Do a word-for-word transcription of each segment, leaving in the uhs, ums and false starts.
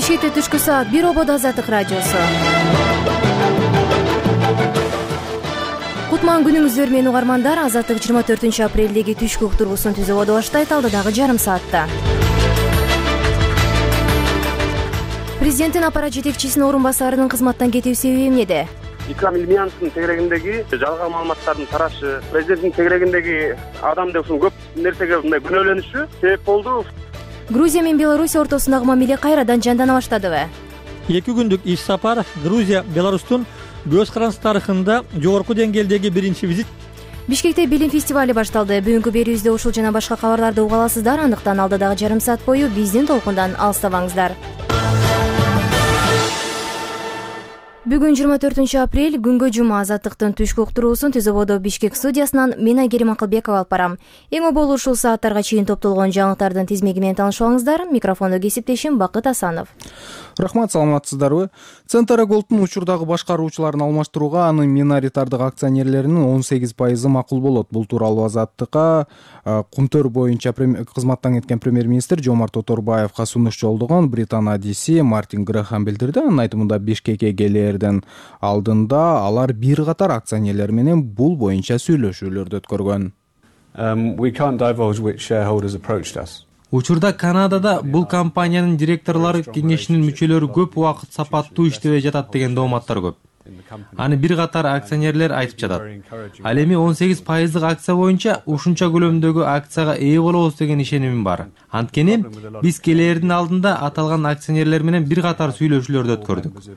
Бишкекте түшкү саат бир ободо Азаттык радиосу. Кутман күнүңүздөр менен угармандар. Азаттык жыйырма төртүнчү апрелдеги түшкү уктуруусун түзүп баштайт алдыдагы жарым саатта. Президенттин аппарат жетекчисинин орун басарынын кызматтан кетүү себеби эмнеде? Икрам Илмияновдун тегерегиндеги жалган маалыматтардын тарашы, президенттин тегерегиндеги адамды ушул көп нерсеге мындай күнөөлөнүшү себеп болду. Грузия менен Беларусь ортосундагы мамиле кайрадан жандана баштадыбы? эки күндүк иш сапар Грузия Беларустун көз каранды тарыхында жогорку деңгээлдеги биринчи визит. Бишкекте билим фестивали башталды. Бүгүнкү берүүбүздө ушул жана башка кабарларды уга аласыздар. Андыктан алдыдагы жарым саат бою биздин толкундан алыстабаңыздар. Бүгүн жыйырма төртүнчү апрель күнгө жума. Азаттыктын түшкү уктуруусун Түзөбодо Бишкек студиясынан мен Айгерим Акылбекова алып барам. Эң оболу ушул сааттарга чейин топтолгон жаңылыктардын тизмеги менен таанышып алыңыздар. Микрофондо кесиптешим Бакыт Асанов. Рахмат, саламатсыздарбы? Центра Голдтун учурдагы башкаруучуларын алмаштырууга анын миноритардык акционерлеринин он сегиз пайызы макул болот. Бул тууралуу Азаттыкка Кумтөр боюнча кызматтан кеткен премьер-министр Жомарт Оторбаевга сунуш жолдогон Британ адиси Мартин Грэхэм билдирди. Анын айтымында Бишкекке келерден алдында алар бир катар акционерлер менен бул боюнча сүйлөшүүлөрдү өткөргөн. Учурда Канадада бул компаниянын директорлору кеңешинин мүчөлөрү көп убакыт сапаттуу иштебей жатат деген дооматтар көп. Аны бир катар акционерлер айтып жатат. Ал эми он сегиз пайыздык акция боюнча ушунча көлөмдөгү акцияга ээ болобуз деген ишенимим бар. Анткени биз келээрдин алдында аталган акционерлер менен бир катар сүйлөшүүлөрдү өткөрдүк.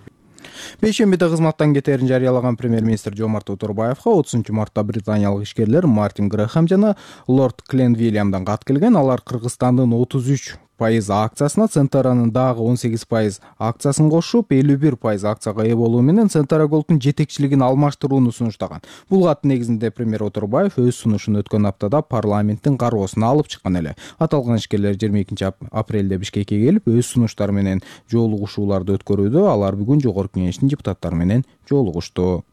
Бейшембиде кызматтан кетерин жарыялаган премьер-министр Жомарт Оторбаевга отузунчу мартта британиялык ишкерлер Мартин Грэхэм жана лорд Кленвильямдан кат келген. Алар Кыргызстандын отуз үч пайыз акциясына Центранын дагы он сегиз пайыз акциясын кошуп, элүү бир пайыз акцияга ээ болуу менен Центра Голдтун жетекчилигин алмаштырууну сунуштаган. Бул кат негизинде премьер Оторбаев өз сунушун өткөн аптада парламенттин кароосуна алып чыккан эле. Аталган ишкерлер жыйырма экинчи апрелде Бишкекке келип, өз сунуштары менен жолугушууларды өткөрүүдө. Алар бүгүн жогорку кеңештин депутаттары менен жолугушту.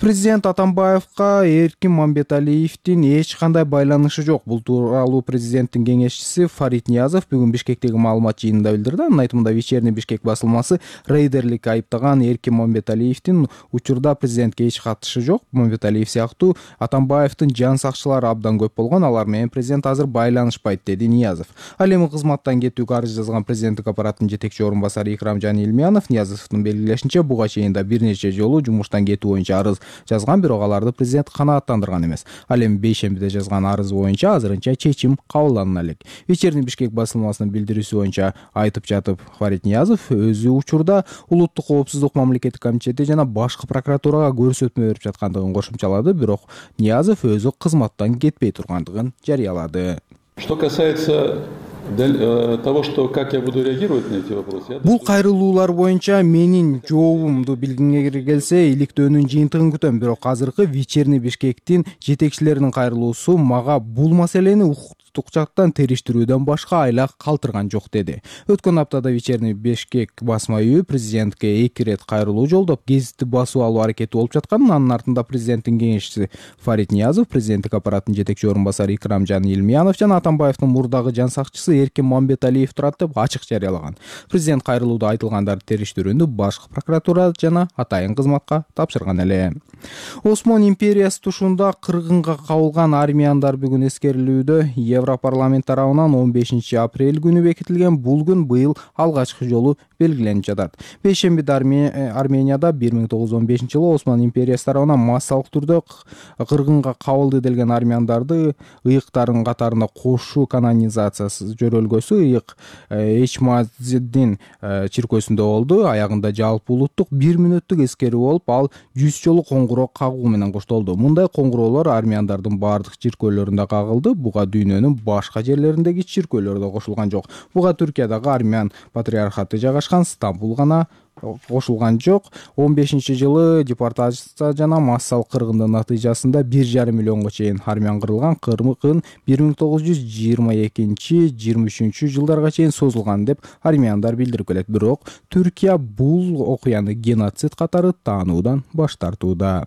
Президент Атамбаевга Эркин Мамбеталиевдин эч кандай байланышы жок. Бул тууралуу президенттин кеңешчиси Фарид Ниязов бүгүн Бишкектеги маалымат жыйынында билдирди. Анын айтымында Вечерний Бишкек басылмасы рейдерликке айыптаган Эркин Мамбеталиевдин учурда президентке эч катышы жок. Мамбеталиев сыяктуу Атамбаевдин жан сакчылары абдан көп болгон. Алар менен президент азыр байланышпайт, деди Ниязов. Ал эми кызматтан кетүүгө арыз жазган президенттик аппараттын жетекчи орун басары Икрамжан Илмиянов Ниязовдун белгилешинче буга чейин да бир нече жолу жумуштан кетүү боюнча арыз жазган, бирок аларды президент канааттандырган эмес. Ал эми бейшембиде жазган арыз боюнча азырынча чечим кабылданына элек. Вечерний Бишкек басылмасынын билдирүүсү боюнча айтып жатып Фарид Ниязов өзү учурда улуттук коопсуздук мамлекеттик комитети жана башкы прокуратурага көрсөтмө берип жаткандыгын кошумчалады, бирок Ниязов өзү кызматтан кетпей тургандыгын жарыялады. Что касается того, что как я буду реагировать на эти вопросы. Бул кайрылуулар боюнча менин жообумду билгиңер келсе, иликтөөнүн жыйынтыгын күтөм, бирок азыркы Вечерний Бишкектин жетекчилеринин кайрылуусу мага бул маселени укуктук жактан териштирүүдөн башка айлак калтырган жок, деди. Өткөн аптада Вечерний Бишкек басма үйү президентке эки ирет кайрылуу жолдоп, гезитти басуу алуу аракети болуп жатканын, анын артында президенттин кеңешчиси Фарид Ниязов, президенттик аппараттын жетекчи орун басары Икрамжан Илмиянов жана Атамбаевдин мурдагы жан сакчысы Эркин Мамбеталиев турат деп ачык жарыялаган. Президент кайрылууда айтылгандарды териштирүүнү башкы прокуратура жана атайын кызматка тапшырган эле. Осман империясы тушунда кыргынга кабылган армияндар бүгүн эскерилүүдө. Европарламент тарабынан он бешинчи апрель күнү бекитилген бул күн быйыл алгачкы жолу белгиленип жатат. Бейшембиде Арменияда бир миң тогуз жүз он бешинчи жылы Осман империясы тарабынан массалык түрдө кыргынга кабылды делген армяндарды ыйыктардын катарында кошуу канонизациясы жөрөлгөсү ыйык Эчмаддин чиркөөсүндө болду. Аягында жалпы улуттук бир мүнөттүк эскерүү болуп, ал жүз жолу коңгуроо кагуу менен коштолду. Мындай коңгуроолор армяндардын бардык чиркөөлөрүндө кагылды. Буга дүйнөнүн башка жерлериндеги чиркөөлөр да кошулган жок. Буга Түркиядагы армян патриархаты жайгашкан Стамбул гана кошулган жок. он бешинчи жылы депортация жана массалык кыргындын натыйжасында бир жарым миллионго чейин армян кырылган. Кыргын бир миң тогуз жүз жыйырма экинчи жыйырма үчүнчү жылдарга чейин созулган деп армяндар билдирип келет. Бирок Түркия бул окуяны геноцид катары таануудан баш тартууда.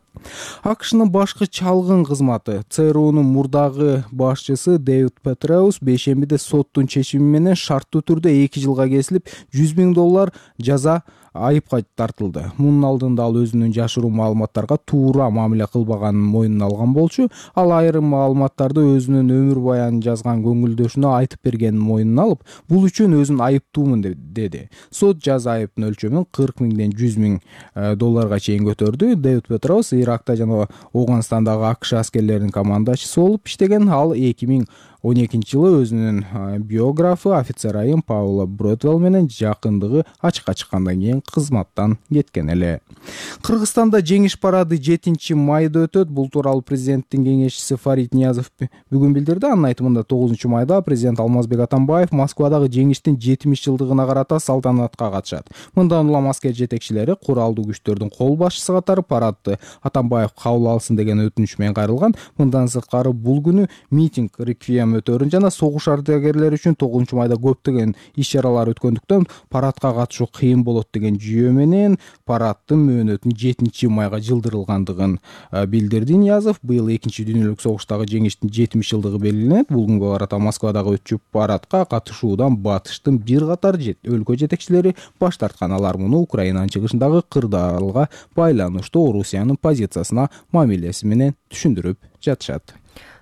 АКШнын башкы чалгын кызматы ЦРУнун мурдагы башчысы Дэвид Петреус бейшембиде соттун чечими менен шарттуу түрдө эки жылга кесилип жүз миң доллар жаза айыпка тартылды. Мунун алдында ал өзүнүн жашыруу маалыматтарга туура мамиле кылбаганын мойнуна алган болчу. Ал айрым маалыматтарды өзүнүн өмүр баянын жазган көңүлдөшүнө айтып бергенин мойнуна алып, бул үчүн өзүн айыптуумун деди. Сот жаза айыптын өлчөмүн кырк миңден жүз миң долларга чейин көтөрдү. Дэвид Петреус Иракта жана Оганстандагы АКШ аскерлеринин командачысы болуп иштеген. Ал эки миң он экинчи жылы өзүнүн биографы офицер айым Паула Бродвелл менен жакындыгы ачыкка чыккандан кийин кызматтан кеткен эле. Кыргызстанда жеңиш парады жетинчи майда өтөт. Бул тууралуу президенттин кеңешчиси Фарид Ниязов бүгүн билдирди. Анын айтымында тогузунчу майда президент Алмазбек Атамбаев Москвадагы жеңиштин жетимиш жылдыгына карата салтанатка катышат. Мындан улам аскер жетекчилери куралдуу күчтөрдүн кол башчысы катары парадты Атамбаев кабыл алсын деген өтүнүч менен кайрылган. Мындан сырткары бул күнү митинг, реквием өтөрүн жана согуш ардагерлери үчүн тогузунчу майда көптөгөн иш-чаралар өткөндүктөн парадка катышуу кыйын болот деген жүйө менен парадтын мөөнөтүн жетинчи майга жылдырылгандыгын билдирди. Ниязов быйыл экинчи дүйнөлүк согуштагы жеңиштин жетимиш жылдыгы белгиленет. Бул күнгө карата Москвадагы өтчү парадка катышуудан батыштын бир катар өлкө жетекчилери баш тарткан. Алар муну Украинанын чыгышындагы кырдаалга байланыштуу Орусиянын позициясына мамилеси менен түшүндүрүп жатышат.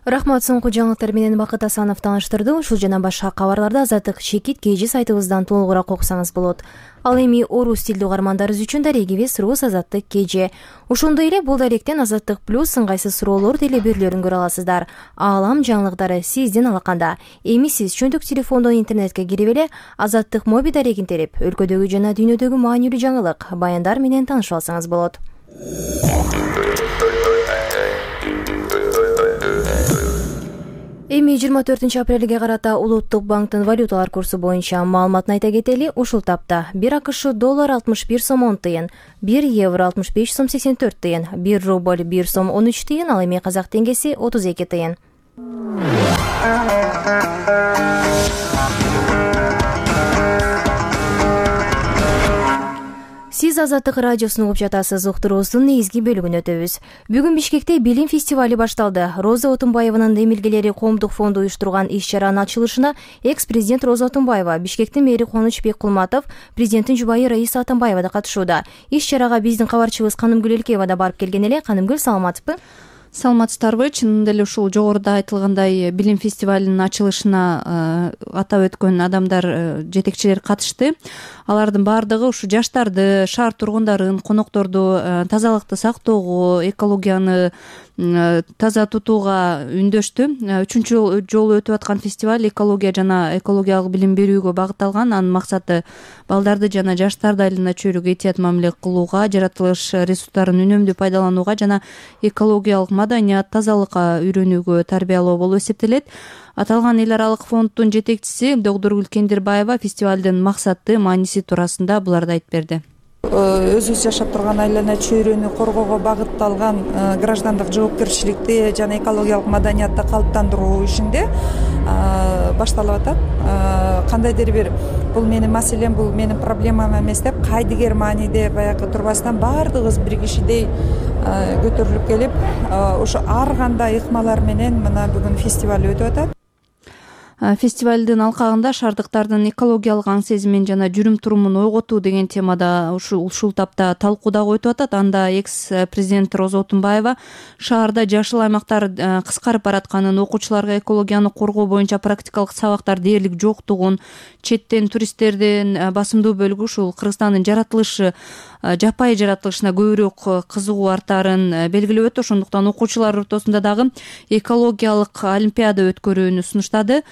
Рахмат, соңку жаңылыктар менен Бакыт Асанов тааныштырды. Ушул жана башка кабарларды Азаттык чекит кж сайтыбыздан толугураак окусаңыз болот. Ал эми орус тилдүү угармандарыбыз үчүн дарегибиз рус Азаттык кж. Ошондой эле бул даректен Азаттык плюс ыңгайсыз суроолор деле берүүлөрүн көрө аласыздар. Аалам жаңылыктары сиздин алаканда. Эми сиз чөндүк телефондон интернетке кирип эле Азаттык моби дарегин терип, өлкөдөгү жана дүйнөдөгү маанилүү жаңылык, баяндар менен таанышып алсаңыз болот. Эми жыйырма төртүнчү апрелге карата Улуттук банктын валюталар курсу боюнча маалыматын айта кетели. Ушул тапта бир АКШ доллар алтымыш бир сом он тыйын, бир евро алтымыш беш сом сексен төрт тыйын, бир рубль бир сом он үч тыйын, ал эми казак теңгеси отуз эки тыйын. Сиз Азаттык радиосун угуп жатасыз. Уктуруубуздун негизги бөлүгүн өтөбүз. Бүгүн Бишкекте билим фестивали башталды. Роза Отунбаеванын эмилгелери коомдук фонду уюштурган иш-чаранын ачылышына экс-президент Роза Отунбаева, Бишкектин мэри Кубанычбек Кулматов, президенттин жубайы Раиса Атамбаева да катышууда. Иш-чарага биздин кабарчыбыз Канымгүл Элкеева да барып келген эле. Канымгүл, саламатсызбы? Саламатсыздарбы? Чынында эле ушул жогоруда айтылгандай билим фестивалынын ачылышына атап өткөн адамдар, жетекчилер катышты. Алардын баардыгы ушу жаштарды, шаар тургундарын, конокторду тазалыкты сактоого, экологияны таза тутууга үндөштү. Үчүнчү жолу өтүп аткан фестиваль экология жана экологиялык билим берүүгө багытталган. Анын максаты балдарды жана жаштарды айлана чөйрөгө этият мамиле кылууга, жаратылыш ресурстарын үнөмдүү пайдаланууга жана экологиялык маданият, тазалыкка үйрөнүүгө тарбиялоо болуп эсептелет. Аталган эл аралык фонддун жетекчиси Догдургүл Кендирбаева фестивалдын максаты, мааниси туурасында буларды айтып берди. Өзүбүз жашап турган айлана чөйрөнү коргоого багытталган граждандык жоопкерчиликти жана экологиялык маданиятты калыптандыруу ишинде башталып атат. Кандайдыр бир бул менин маселем, бул менин проблемам эмес деп, кайдыгер мааниде баягы турбастан баардыгыбыз бир кишидей көтөрүлүп келип, ошо ар кандай ыкмалар менен мына бүгүн фестиваль өтүп атат. Фестивалдын алкагында шаардыктардын экологиялык аң сезимин жана жүрүм турумун ойготуу деген темада ушул ушул тапта талкуу дагы өтүп атат. Анда экс-президент Роза Отунбаева шаарда жашыл аймактар кыскарып баратканын, окуучуларга экологияны коргоо боюнча практикалык сабактар дээрлик жоктугун, четтен туристтердин басымдуу бөлүгү ушул Кыргызстандын жаратылышы, жапайы жаратылышына көбүрөөк кызыгуу артарын белгилеп өттү. Ошондуктан окуучулар ортосунда дагы экологиялык олимпиада өткөрүүнү сунуштады.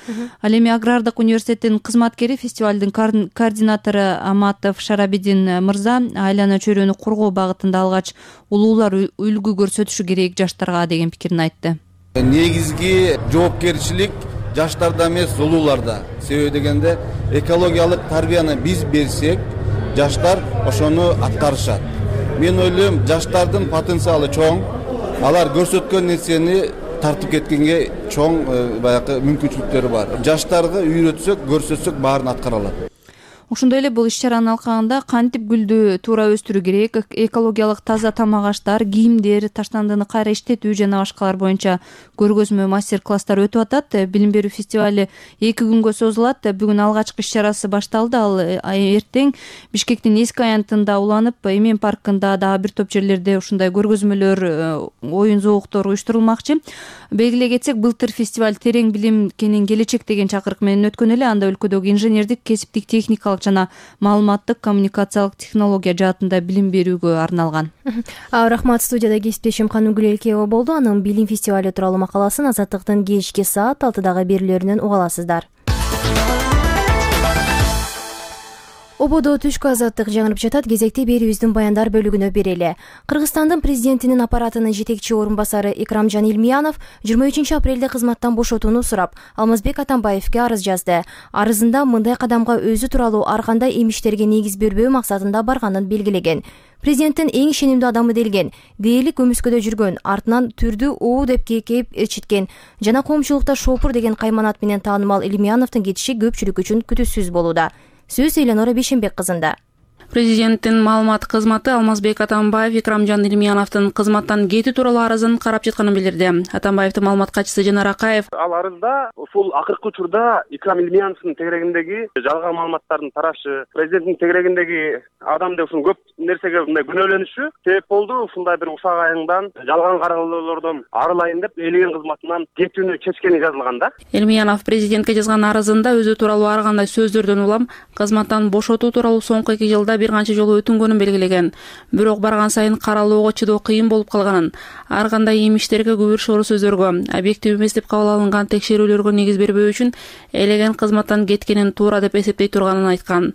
Ал эми Агрардык университеттин кызматкери, фестивалдын координатору Аматов Шарабидин мырза айлана чөйрөнү коргоо багытында алгач улуулар үлгү көрсөтүшү керек жаштарга деген пикирин айтты. Негизги жоопкерчилик жаштарда эмес, улууларда. Себеби дегенде экологиялык тарбияны биз берсек, жаштар ошону аткарышат. Мен ойлойм, жаштардын потенциалы чоң. Алар көрсөткөн нерсени тартып кеткенге чоң баягы мүмкүнчүлүктөрү бар. Жаштарга үйрөтсөк, көрсөтсөк баарын аткара алат. Ошондой эле бул иш-чаранын алкагында кантип гүлдү туура өстүрүү керек, экологиялык таза тамак аштар, кийимдер, таштандыны кайра иштетүү жана башкалар боюнча көргөзмө мастер-класстар өтүп атат. Билим берүү фестивали эки күнгө созулат. Бүгүн алгачкы иш-чарасы башталды. Ал эртең Бишкектин эски аянтында уланып, Эмен паркында дагы бир топ жерлерде ушундай көргөзмөлөр, оюн зооктору уюштурулмакчы. Белгилей кетсек, былтыр фестиваль терең билим кенен келечек деген чакырык менен өткөн эле. Анда өлкөдөгү инженердик, кесиптик, техникалык жана маалыматтык коммуникациялык технология жаатында билим берүүгө арналган. Рахмат. Студияда кесиптешим Канугүл Элкеева болду. Анын билим фестивали тууралуу макаласын Азаттыктын кечки саат алтыдагы берүүлөрүнөн уга аласыздар. Ободо түшкү азаттык жаңырып жатат. Кезекте берүүбүздүн баяндар бөлүгүнө берели. Кыргызстандын президентинин аппаратынын жетекчи орун басары Икрамжан Илмиянов жыйырма үчүнчү апрелде кызматтан бошотууну сурап, Алмазбек Атамбаевге арыз жазды. Арызында мындай кадамга өзү тууралуу ар кандай эмиштерге негиз бербөө максатында барганын белгилеген. Президенттин эң ишенимдүү адамы делген, дээрлик көмүскөдө жүргөн, артынан түрдү уу деп кээп ичиткен жана коомчулукта шопур деген кайманат менен таанымал Илмияновдун кетиши көпчүлүк үчүн күтүүсүз болууда. Сөз Эленора Бейшенбек кызында. Президенттин маалымат кызматы Алмазбек Атамбаев Икрамжан Илмияновдун кызматтан кетүү тууралуу арызын карап жатканын билдирди. Атамбаевдин маалымат катчысы Жанар Акаев ал арызда ушул акыркы учурда Икрам Илмияновдун тегерегиндеги жалган маалыматтардын тарашы, президенттин тегерегиндеги адам деп ушул көп нерсеге мындай күнөөлөнүшү себеп болду. Ушундай бир усак айыңдан жалган каралоолордон арылайын деп элеген кызматынан кетүүнү чечкени жазылган да. Илмиянов президентке жазган арызында өзү тууралуу ар кандай сөздөрдөн улам кызматтан бошотуу тууралуу соңку эки жылда бир канча жолу өтүнгөнүн белгилеген. Бирок барган сайын каралоого чыдоо кыйын болуп калганын, ар кандай эмиштерге күбүр шору сөздөргө, объектив эмес деп кабыл алынган текшерүүлөргө негиз бербөө үчүн элеген кызматтан кеткенин туура деп эсептей турганын айткан.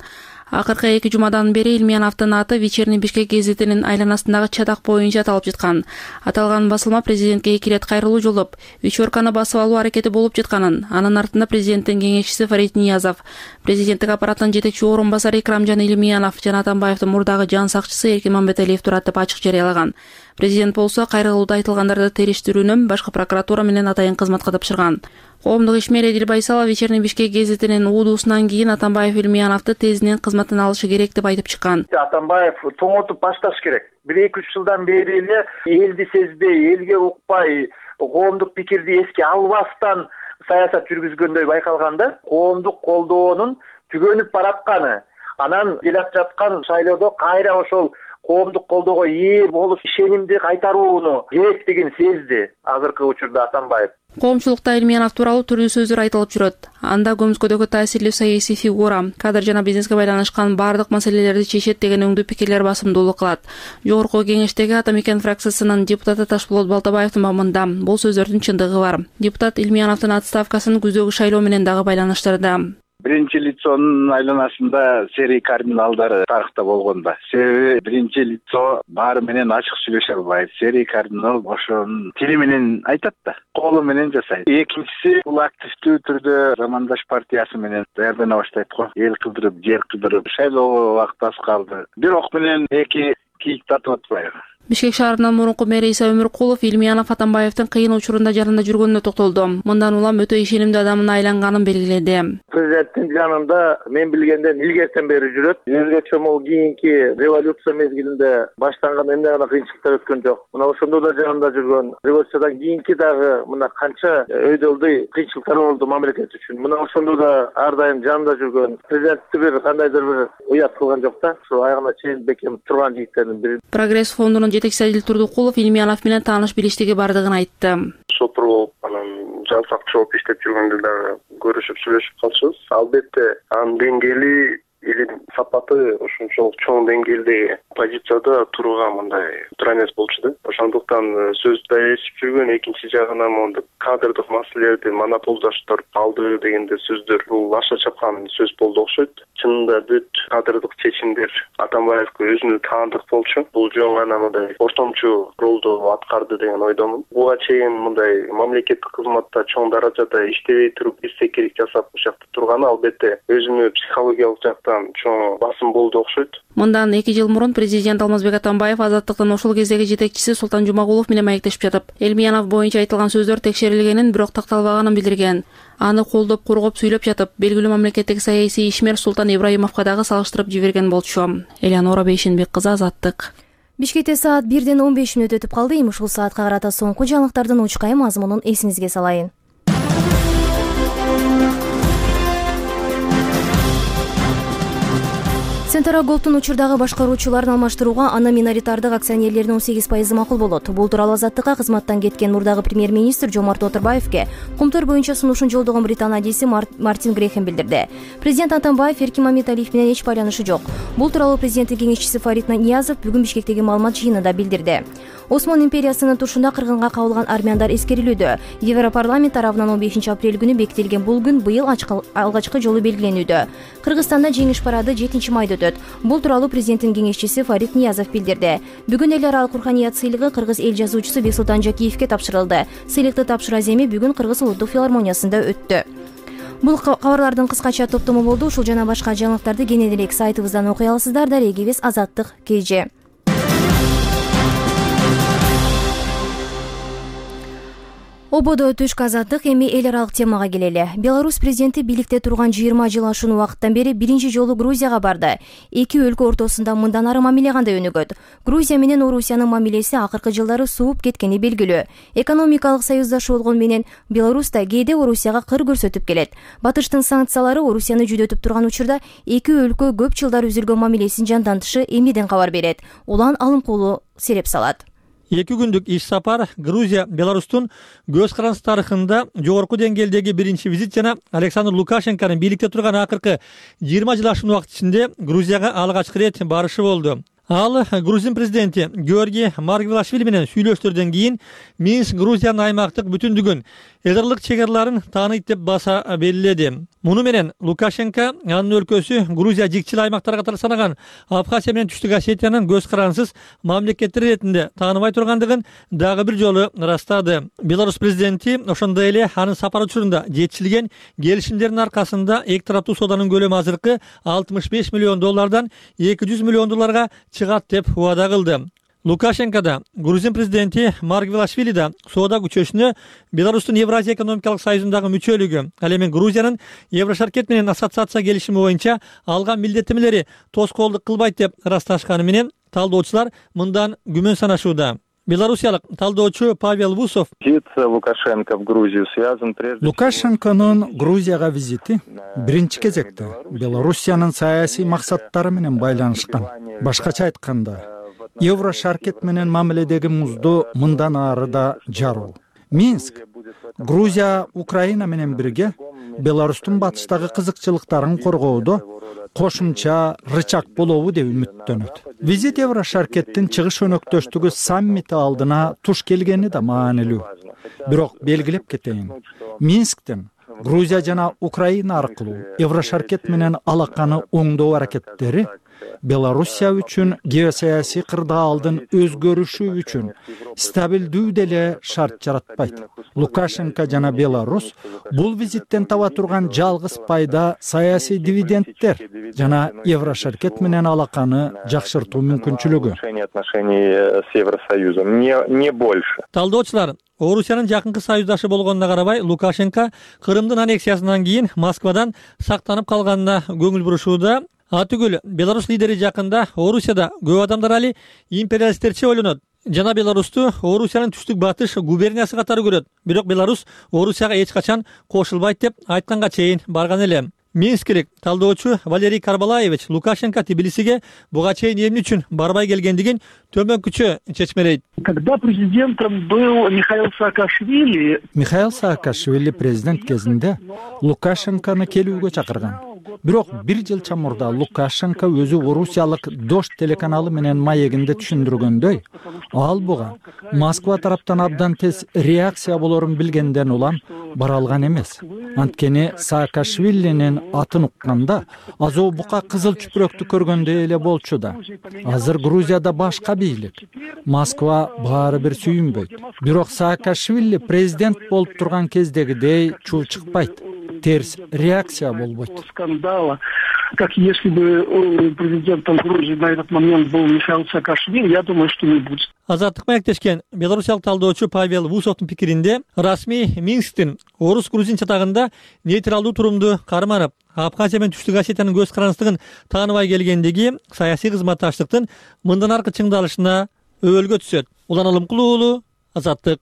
Акыркы эки жумадан бери Илмияновдун аты Вечерний Бишкек гезитинин айланасындагы чатак боюнча аталып жаткан. Аталган басылма президентке эки ирет кайрылуу жолдоп, вечерканы басып алуу аракети болуп жатканын, анын артында президенттин кеңешчиси Фарид Ниязов, президенттик аппараттын жетекчи орун басары Икрамжан Илмиянов жана Атамбаевдин мурдагы жан сакчысы Эркин Мамбеталиев турат деп ачык жарыялаган. Президент болсо кайрылууда айтылгандарды териштирүүнү башкы прокуратура менен атайын кызматка тапшырган. Коомдук ишмер Эдил Байсалов Вечерний Бишкек гезитинин уудуусунан кийин Атамбаев Илмияновду тезинен кызматтан алышы керек деп айтып чыккан. Атамбаев тоңотуп башташ керек. бир эки үч жылдан бери эле элди сезбей, элге укпай, коомдук пикирди эске албастан саясат жүргүзгөндөй байкалганда, коомдук колдоонун түгөнүп баратканы, анан келип жаткан шайлоодо кайра ошол коомдук колдоого ээ болуп ишенимди кайтарууну керектигин сезди азыркы учурда Атамбаев. Коомчулукта Илмиянов тууралуу түрдүү сөздөр айтылып жүрөт. Анда көмүскөдөгү таасирлүү саясий фигура, кадр жана бизнеске байланышкан бардык маселелерди чечет деген өңдүү пикирлер басымдуулук кылат. Жогорку кеңештеги Атамекен фракциясынын депутаты Ташполот Балтабаевдин мамында бул сөздөрдүн чындыгы бар. Депутат Илмияновдун отставкасын күздөгү шайлоо менен дагы байланыштырды. Биринчи лицонун айланасында серий кардиналдары тарыхта болгон да. Себеби биринчи лицо баары менен ачык сүйлөшө албайт. Серий кардинал ошонун тили менен айтат да, колу менен жасайт. Экинчиси бул активдүү түрдө Замандаш партиясы менен даярдана баштайт го. Эл кыдырып, жер кыдырып, шайлоого убакыт аз калды. Бирок менен эки кийик тартып атпайбы. Бишкек шаарынын мурунку мэри Иса Өмүркулов Илмиянов Атамбаевдин кыйын учурунда жанында жүргөнүнө токтолду. Мындан улам өтө ишенимдүү адамына айланганын белгиледи. Президенттин жанында мен билгенден илгертен бери жүрөт. Өзгөчө могу кийинки революция мезгилинде баштанган эмне гана кыйынчылыктар өткөн жок. Мына ошондо да жанында жүргөн. Революциядан кийинки дагы мына канча өйдөлдү кыйынчылыктар болду мамлекет үчүн. Мына ошондо да ар дайым жанында жүргөн. Президентти бир кандайдыр бир уят кылган жок да. Ошо айгына чейин бекем турган жигиттердин бири. Прогресс фондунун жетекчиси Адил Турдукулов Илмиянов менен тааныш билиштиги бардыгын айтты. Шопур болуп, анан жан сакчы болуп иштеп жүргөндө дагы көрүшүп сүйлөшүп калчубуз. Албетте анын деңгээли илим сапаты ошончолук чоң деңгээлде позицияда турууга мындай туура эмес болчу да. Ошондуктан сөздү ээрчип жүргөн, экинчи жагынан мондо кадрдык маселелерди монополдаштырып алды дегенде сөздөр бул аша чапкан сөз болду окшойт. Чынында бүт кадрдык чечимдер Атамбаевге өзүнө таандык болчу. Бул жөн гана мындай ортомчу ролду аткарды деген ойдомун. Буга чейин мындай мамлекеттик кызматта чоң даражада иштебей туруп эстекелик жасап ушакта турганы албетте өзүмө психологиялык жактан чоң басым болду окшойт. Мындан эки жыл мурун президент Алмазбек Атамбаев Азаттыктын ошол кездеги жетекчиси Султан Жумагулов менен маектешип жатып, Элмиянов боюнча айтылган сөздөр текшерилгенин, бирок такталбаганын билдирген. Аны колдоп, кургоп сүйлөп жатып, белгилүү мамлекеттик саясий ишмер Султан Ибраимовго дагы салыштырып жиберген болчу. Элеонора Бейшенбек кызы, Азаттык. Бишкекте саат бирден он беш мүнөт өтүп калды. Эми ушул саатка карата соңку жаңылыктардын учкай мазмунун эсиңизге салайын. Центра Голдтун учурдагы башкаруучуларын алмаштырууга аны миноритардык акционерлердин он сегиз пайызы макул болот. Бул тууралуу Азаттыкка кызматтан кеткен мурдагы премьер-министр Жомарт Оторбаевке Кумтөр боюнча сунушун жолдогон Британ адиси Мартин Грехем билдирди. Президент Атамбаев Эркин Мамиталиев менен эч байланышы жок. Бул тууралуу президенттин кеңешчиси Фарид Ниязов бүгүн Бишкектеги маалымат жыйынында билдирди. Осмон империясынын тушунда кыргынга кабылган армяндар эскерилүүдө. Европарламент тарабынан он бешинчи апрель күнү бекитилген бул күн быйыл алгачкы жолу белгиленүүдө. Кыргызстанда жеңиш парады жетинчи майда өтөт. Бул тууралуу президенттин кеңешчиси Фарид Ниязов билдирди. Бүгүн эл аралык руханият сыйлыгы кыргыз эл жазуучусу Бексултан Жакиевке тапшырылды. Сыйлыкты тапшыруу аземи бүгүн Кыргыз улуттук филармониясында өттү. Бул кабарлардын кыскача топтому болду. Ушул жана башка жаңылыктарды кенен элек сайтыбыздан окуй аласыздар. Дарегибиз Азаттык кж. Ободо түшкү азаттык. Эми эл аралык темага келели. Беларусь президенти бийликте турган жыйырма жыл ашуун убакыттан бери биринчи жолу Грузияга барды. Эки өлкө ортосунда мындан ары мамиле кандай өнүгөт? Грузия менен Орусиянын мамилеси акыркы жылдары сууп кеткени белгилүү. Экономикалык союздашы болгон менен Беларусь да кээде Орусияга кыр көрсөтүп келет. Батыштын санкциялары Орусияны жүдөтүп турган учурда эки өлкө көп жылдар үзүлгөн мамилесин жандантышы эмнеден кабар берет? Улан алымкулуу сереп салат. Эки күндүк иш сапар Грузия Беларустун көз карандысы тарыхында жогорку деңгээлдеги биринчи визит жана Александр Лукашенконун бийликте турган акыркы жыйырма жыл ашуун убакыт ичинде Грузияга алгачкы ирет барышы болду. Ал Грузин президенти Георгий Маргвелашвили менен сүйлөштөрдөн кийин Минск Грузиянын аймактык бүтүндүгүн, элдарлык чек араларын тааныйт деп баса белгиледи. Муну менен Лукашенко анын өлкөсү Грузия жикчил аймактар катары санаган Абхазия менен Түштүк Осетиянын көз карандысыз мамлекеттер иретинде тааныбай тургандыгын дагы бир жолу ырастады. Беларусь президенти ошондой эле анын сапар учурунда жетишилген келишимдердин аркасында эки тараптуу сооданын көлөмү азыркы алтымыш беш миллион доллардан эки жүз миллион долларга чыгат деп убада кылды. Лукашенко да, Грузин президенти Маргвелашвили да соода күчөшүнө Беларустун Евразия экономикалык союзундагы мүчөлүгү, ал эми Грузиянын Еврошаркет менен ассоциация келишими боюнча алган милдеттенмелери тоскоолдук кылбайт деп ырасташканы менен талдоочулар мындан күмөн санашууда. Белорусиялык талдоочу Павел Вусов: Визит Лукашенко в Грузию связан прежде Лукашенконун Грузияга визити биринчи кезекте Белоруссиянын саясий максаттары менен байланышкан. Башкача айтканда, Еврошаркет менен мамиледеги музду мындан ары да жаруу. Минск Грузия Украина менен бирге Беларустун батыштагы кызыкчылыктарын коргоодо кошумча рычаг болобу деп үмүттөнөт. Визит Еврошаркеттин чыгыш өнөктөштүгү саммити алдына туш келгени да маанилүү. Бирок белгилеп кетейин, Минсктин Грузия жана Украина аркылуу Еврошаркет менен алаканы оңдоо аракеттери Белоруссия үчүн геосаясий кырдаалдын өзгөрүшү үчүн стабилдүү деле шарт жаратпайт. Лукашенко жана Беларусь бул визиттен таба турган жалгыз пайда саясий дивидендтер жана Еврошаркет менен алаканы жакшыртуу мүмкүнчүлүгү. Отношений с Евросоюзом не не больше. Талдоочулар Орусиянын жакынкы союздашы болгонуна карабай Лукашенко Крымдын аннексиясынан кийин Москвадан сактанып калганына көңүл бурушууда. Атүгүл Беларусь лидери жакында Орусияда көп адамдар али империалисттерче ойлонот жана Беларусту Орусиянын түштүк батыш губерниясы катары көрөт. Бирок Беларусь Орусияга эч качан кошулбайт деп айтканга чейин барган эле. Минскилик талдоочу Валерий Карбалаевич Лукашенко Тбилисиге буга чейин эмне үчүн барбай келгендигин төмөнкүчө чечмелейт. Когда президентом был Михаил Саакашвили, Михаил Саакашвили президент кезинде Лукашенкону келүүгө чакырган. Бирок бир жылча мурда Лукашенко өзү Орусиялык Дождь телеканалы менен маегинде түшүндүргөндөй, ал буга Москва тараптан абдан тез реакция болорун билгенден улам бара алган эмес. Анткени Саакашвилинин атын укканда азоо бука кызыл чүпүрөктү көргөндөй эле болчу да. Азыр Грузияда башка бийлик. Москва баары бир сүйүнбөйт. Бирок Саакашвили президент болуп турган кездегидей чуу чыкпайт. Терс реакция болбойт. Скандала как если бы президентом Грузии на этот момент был Михаил Саакашвили, я думаю, что не будет. Азаттык маектешкен белорусиялык талдоочу Павел Вусовдун пикиринде расмий Минсктин орус грузин чатагында нейтралдуу турумду карманып, Абхазия менен Түштүк Осетиянын көз карандыгын тааныбай келгендеги саясий кызматташтыктын мындан аркы чыңдалышына өбөлгө түшөт. Улан Алымкулуу уулу, Азаттык.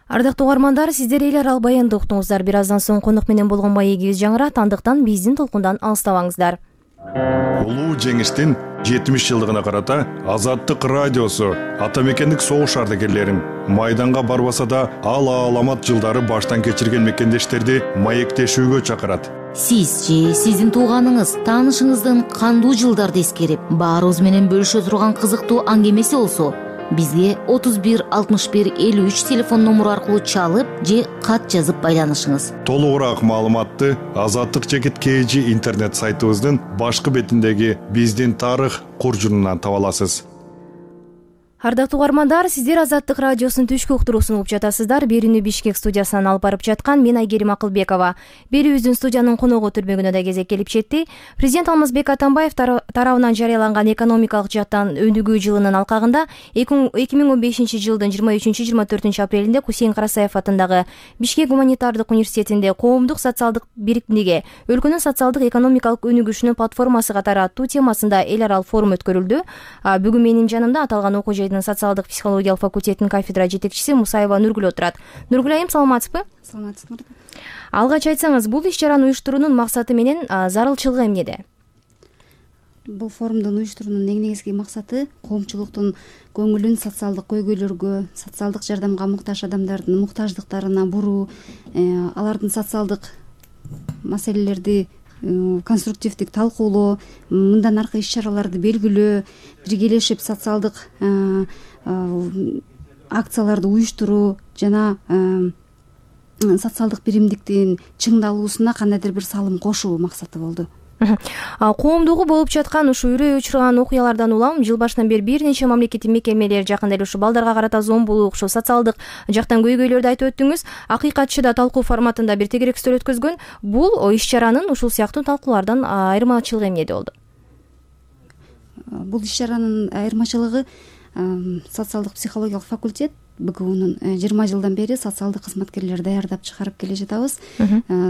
Ардактуу угармандар, сиздер эл аралык баянды уктуңуздар. Бир аздан соң конок менен болгон маегибиз жаңырат, андыктан биздин толкундан алыстабаңыздар. Улуу жеңиштин жетимиш жылдыгына карата Азаттык радиосу атамекендик согуш ардагерлерин майданга барбаса да ал аламат жылдары баштан кечирген мекендештерди маектешүүгө чакырат. Сиз же сиздин тууганыңыз, таанышыңыздын кандуу жылдарды эскерип, баарыбыз менен бөлүшө турган кызыктуу аңгемеси болсо, бизге отуз бир алтымыш бир элүү үч телефон номуру аркылуу чалып же кат жазып байланышыңыз. Толугураак маалыматты Азаттык чекит kg интернет сайтыбыздын башкы бетиндеги биздин тарых куржунунан таба аласыз. Ардактуу угармандар, сиздер Азаттык радиосунун түшкү уктуруусун угуп жатасыздар. Берүүнү Бишкек студиясынан алып барып жаткан мен Айгерим Акылбекова. Берүүбүздүн студиянын коногу түрмөгүнө да кезек келип жетти. Президент Алмазбек Атамбаев тарабынан жарыяланган экономикалык жактан өнүгүү жылынын алкагында эки миң он бешинчи жылдын жыйырма үчүнчү жыйырма төртүнчү апрелинде Кусейин Карасаев атындагы Бишкек гуманитардык университетинде коомдук социалдык биримдиги өлкөнүн социалдык экономикалык өнүгүшүнүн платформасы катары аттуу темасында эл аралык форум өткөрүлдү. Бүгүн менин жанымда аталган окуу жайдын социалдык психологиялык факультетинин кафедра жетекчиси Мусаева Нургүл отурат. Нургүл айым, саламатсызбы? Саламатсызбы. Алгач айтсаңыз, бул иш-чараны уюштуруунун максаты менен зарылчылыгы эмнеде? Бул форумдун уюштуруунун эң негизги максаты коомчулуктун көңүлүн социалдык көйгөйлөргө, социалдык жардамга муктаж адамдардын муктаждыктарына буруу, алардын социалдык маселелерди конструктивдик талкуулоо, мындан аркы иш-чараларды белгилөө, биргелешип социалдык акцияларды уюштуруу жана социалдык биримдиктин чыңдалуусуна кандайдыр бир салым кошуу максаты болду. Коомдугу болуп жаткан ушу үрөй учурган окуялардан улам жыл башынан бери бир нече мамлекеттик мекемелер жакында эле ушу балдарга карата зомбулук, ушу социалдык жактан көйгөйлөрдү айтып өттүңүз. Акыйкатчы да талкуу форматында бир тегерек стөл өткөзгөн. Бул иш-чаранын ушул сыяктуу талкуулардан айырмачылыгы эмнеде болду? Бул иш-чаранын айырмачылыгы социалдык психологиялык факультет БГУнун жыйырма жылдан бери социалдык кызматкерлер даярдап чыгарып келе жатабыз.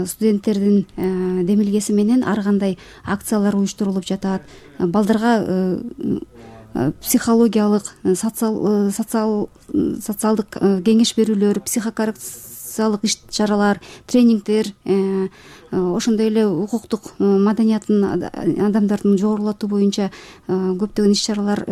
Студенттердин демилгеси менен ар кандай акциялар уюштурулуп жатат. Балдарга психологиялык, социалдык кеңеш берүүлөр, психокоррекциялык иш-чаралар, тренингдер, ошондой эле укуктук маданияттын адамдардын жогорулатуу боюнча көптөгөн иш-чаралар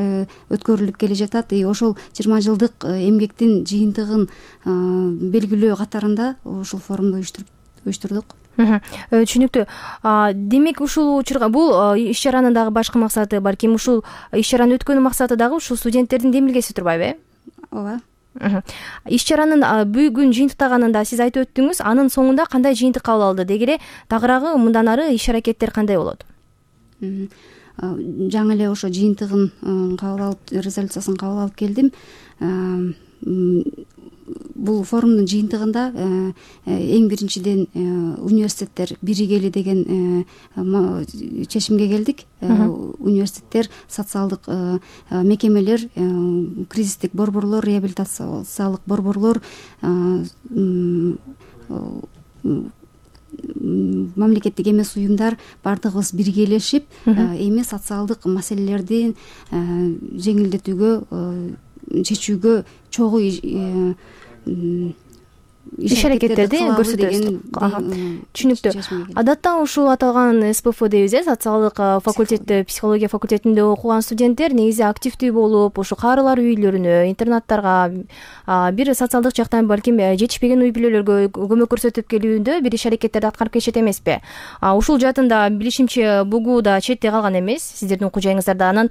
өткөрүлүп келе жатат. Ошол жыйырма жылдык эмгектин жыйынтыгын белгилөө катарында ушул форумду уюштурдук. Түшүнүктүү. Демек ушул учурга бул иш-чаранын дагы башкы максаты, балким ушул иш-чаранын өткөнүн максаты дагы ушул студенттердин демилгеси турбайбы, э? Ооба. Иш-чаранын бүгүн жыйынтыктаганында сиз айтып өттүңүз, анын соңунда кандай жыйынтык кабыл алды? Дегеле тагыраагы мындан ары иш-аракеттер кандай болот? Жаңы эле ошо жыйынтыгын кабыл алып, резолюциясын кабыл алып келдим. Бул форумдун жыйынтыгында эң биринчиден университеттер биригели деген чечимге келдик. Университеттер, социалдык мекемелер, кризистик борборлор, реабилитациялык борборлор, мамлекеттик эмес уюмдар бардыгыбыз биргелешип эми социалдык маселелерди жеңилдетүүгө, чечүүгө чогуу иш-аракеттерди көрсөтөбүз. Түшүнүктүү. Адатта ушул аталган СПФ дейбиз, э, социалдык факультетте, психология факультетинде окуган студенттер негизи активдүү болуп, ушу карылар үйлөрүнө, интернаттарга, бир социалдык жактан балким жетишпеген үй бүлөлөргө көмөк көрсөтүп келүүндө бир иш-аракеттерди аткарып келишет эмеспи? Ушул жаатында билишимче БУГУ да четте калган эмес, сиздердин окуу жайыңыздарда. Анан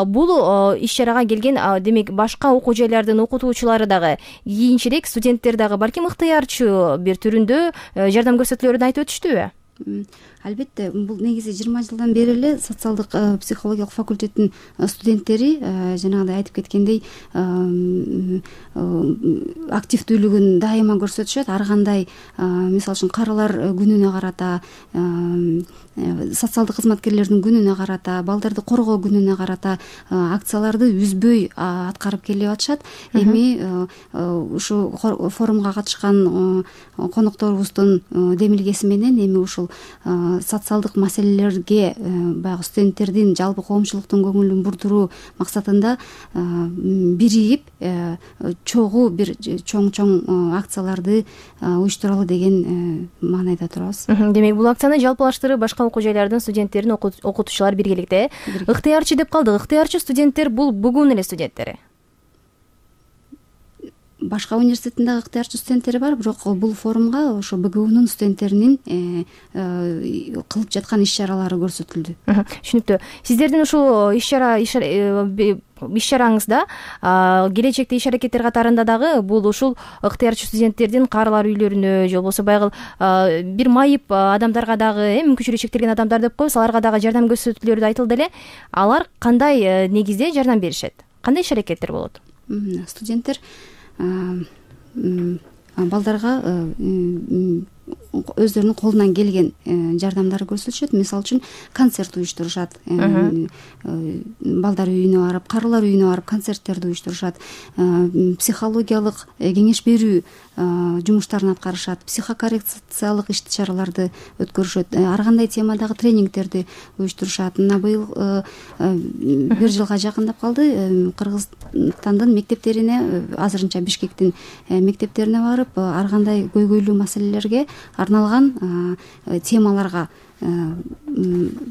бул иш-чарага келген, демек башка окуу жайлардын окутуучулары дагы кийинчерээк студенттер дагы балким ыктыярчы бир түрүндө жардам көрсөтүлөрүн айтып өтүштүбү? албетте бул негизи жыйырма жылдан бери эле социалдык психологиялык факультеттин студенттери жанагындай айтып кеткендей активдүүлүгүн дайыма көрсөтүшөт. Ар кандай мисалы үчүн карылар күнүнө карата, социалдык кызматкерлердин күнүнө карата, балдарды коргоо күнүнө карата акцияларды үзбөй аткарып келип атышат. Эми ушу форумга катышкан конокторубуздун демилгеси менен эми ушул социалдык маселелерге баягы студенттердин, жалпы коомчулуктун көңүлүн бурдуруу максатында биригип чогуу бир чоң чоң акцияларды уюштуралы деген маанайда турабыз. Демек бул акцияны жалпылаштырып башка окуу жайлардын студенттерин, окутуучулар биргеликте ыктыярчы деп калдык. Ыктыярчы студенттер бул БГУнун эле студенттери. Башка университеттин дагы ыктыярчы студенттери бар, бирок бул форумга ошо БГУнун студенттеринин кылып жаткан иш-чаралары көрсөтүлдү. Түшүнүктүү. Сиздердин ушул иш-чара иш-чараңызда келечекте иш-аракеттер катарында дагы бул ушул ыктыярчы студенттердин каарылар үйлөрүнө же болбосо баягы бир майып адамдарга дагы, мүмкүнчүлүгү чектелген адамдар деп коебуз, аларга дагы жардам көрсөтүлөрү айтылды эле. Алар кандай негизде жардам беришет? Кандай иш-аракеттер болот? Студенттер балдарга өздөрүнүн колунан келген жардамдарды көрсөтүшөт. Мисалы үчүн концерт уюштурушат. Балдар үйүнө барып, карылар үйүнө барып концерттерди уюштурушат. Психологиялык кеңеш берүү жумуштарын аткарышат. Психокоррекциялык иш-чараларды өткөрүшөт. Ар кандай темадагы тренингтерди уюштурушат. Мына быйыл бир жылга жакындап калды. Кыргызстандын мектептерине, азырынча Бишкектин мектептерине барып, ар кандай көйгөйлүү маселелерге арналган темаларга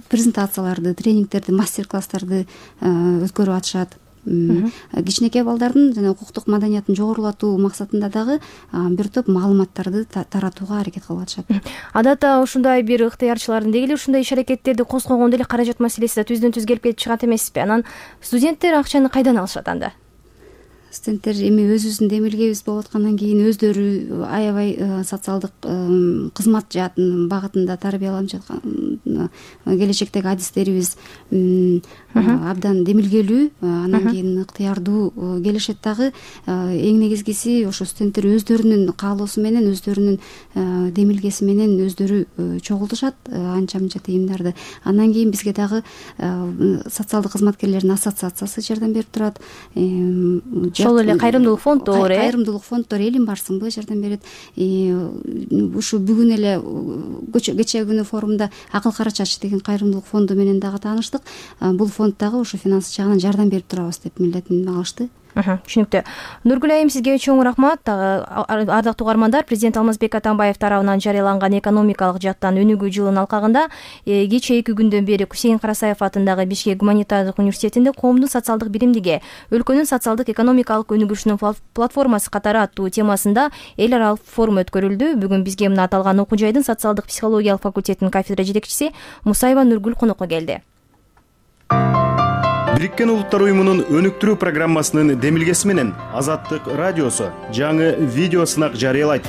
презентацияларды, тренингтерди, мастер-класстарды өткөрүп атышат. Кичинекей балдардын жана укуктук маданиятын жогорулатуу максатында дагы бир топ маалыматтарды таратууга аракет кылып атышат. Адатта ушундай бир ыктыярчылардын деги эле ушундай иш-аракеттерди козгогондо эле каражат маселеси да түздөн түз келип кетип чыгат эмеспи? Анан студенттер акчаны кайдан алышат анда? Студенттер эми өзүбүздүн демилгебиз болуп аткандан кийин өздөрү аябай социалдык кызмат жаатын багытында тарбияланып жаткан, келечектеги адистерибиз абдан демилгелүү, анан кийин ыктыярдуу келишет дагы. Эң негизгиси ошо студенттер өздөрүнүн каалоосу менен, өздөрүнүн демилгеси менен өздөрү чогултушат анча мынча тыйымдарды. Андан кийин бизге дагы социалдык кызматкерлердин ассоциациясы жардам берип турат. Ошол эле кайрымдуулук фонддор, э? Кайрымдуулук фонддор Элим барсыңбы жардам берет. Ушу бүгүн эле кечээ күнү форумда Акыл Кара Чач деген кайрымдуулук фонду менен дагы тааныштык. Бул фонд дагы ушу финанс жагынан жардам берип турабыз деп милдетин алышты. Түшүнүктүү. Нургүл айым, сизге чоң рахмат. Ардактуу угармандар, президент Алмазбек Атамбаев тарабынан жарыяланган экономикалык жактан өнүгүү жылынын алкагында кечээ эки күндөн бери Хусейин Карасаев атындагы Бишкек гуманитардык университетинде коомдун социалдык биримдиги, өлкөнүн социалдык экономикалык өнүгүшүнүн платформасы катары аттуу темасында эл аралык форум өткөрүлдү. Бүгүн бизге мына аталган окуу жайдын социалдык психологиялык факультетинин кафедра жетекчиси Мусаева Нургүл конокко келди. Бириккен Улуттар уюмунун өнүктүрүү программасынын демилгеси менен Азаттык радиосу жаңы видео сынак жарыялайт.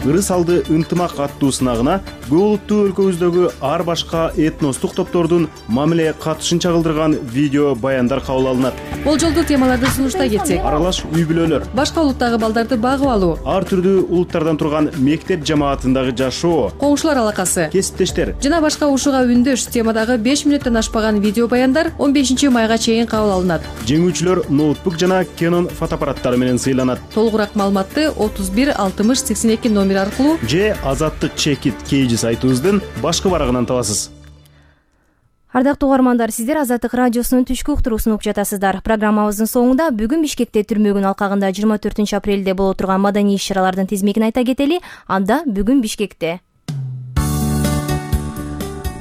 Ырыс алды ынтымак аттуу сынагына көп улуттуу өлкөбүздөгү ар башка этностук топтордун мамиле катышын чагылдырган видео баяндар кабыл алынат. Болжолдуу темаларды сунуштай кетсек, аралаш үй бүлөлөр, башка улуттагы балдарды багып алуу, ар түрдүү улуттардан турган мектеп жамаатындагы жашоо, коңшулар алакасы, кесиптештер жана башка ушуга үндөш темадагы беш мүнөттөн ашпаган видео баяндар он бешинчи майга чейин кабыл алынат. Жеңүүчүлөр ноутбук жана Canon фотоаппараттары менен сыйланат. Толугураак маалыматты отуз бир алтымыш сексен эки номер аркылуу же Азаттык чекит кейжи сайтыбыздын башкы барагынан табасыз. Ардактуу угармандар, сиздер Азаттык радиосунун түшкү уктуруусун угуп жатасыздар. Программабыздын соңунда бүгүн Бишкекте түрмөгүнүн алкагында жыйырма төртүнчү апрелде боло турган маданий иш-чаралардын тизмегин айта кетели. Анда бүгүн Бишкекте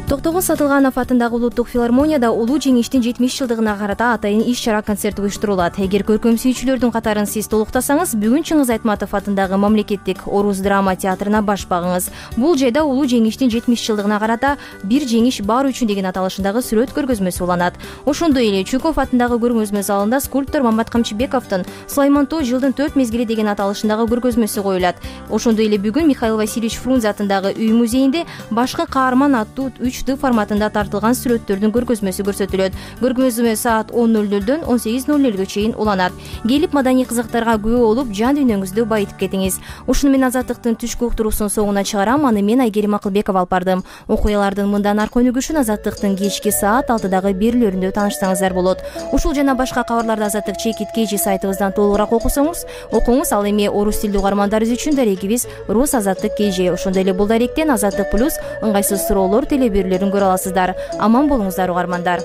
Токтогул Сатылганов атындагы улуттук филармонияда улуу жеңиштин жетимиш жылдыгына карата атайын иш-чара концерт уюштурулат. Эгер көркөм сүйүүчүлөрдүн катарын сиз толуктасаңыз, бүгүн Чыңгыз Айтматов атындагы мамлекеттик Орус драма театрына баш багыңыз. Бул жайда улуу жеңиштин жетимиш жылдыгына карата бир жеңиш бар үчүн деген аталышындагы сүрөт көргөзмөсү уланат. Ошондой эле Чуков атындагы көргөзмө залында скульптор Мамат Камчыбековдун Сулайман Тоо жылдын төрт мезгили деген аталышындагы көргөзмөсү коюлат. Ошондой эле бүгүн Михаил Васильевич Фрунзе атындагы үй музейинде башкы каарман аттуу үч д форматында тартылган сүрөттөрдүн көргөзмөсү көрсөтүлөт. Көргөзмө саат он ноль нолдон он сегиз ноль нөлгө чейин уланат. Келип маданий кызыктарга күбө болуп, жан дүйнөңүздү байытып кетиңиз. Ушуну менен Азаттыктын түшкү уктуруусунун соңуна чыгарам. Аны мен Айгерим Акылбекова алып бардым. Окуялардын мындан аркы өнүгүшүн Азаттыктын кечки саат алтыдагы берүүлөрүндө таанышсаңыздар болот. Ушул жана башка кабарларды Азаттык чекит кж сайтыбыздан толугураак окусоңуз, окуңуз. Ал эми орус тилдүү угармандарыбыз үчүн дарегибиз Рус Азаттык кж. Ошондой эле бул даректен Азаттык плюс ыңгайсыз суроолор телеберүүлөрүн көрө аласыздар. Аман болуңуздар угармандар.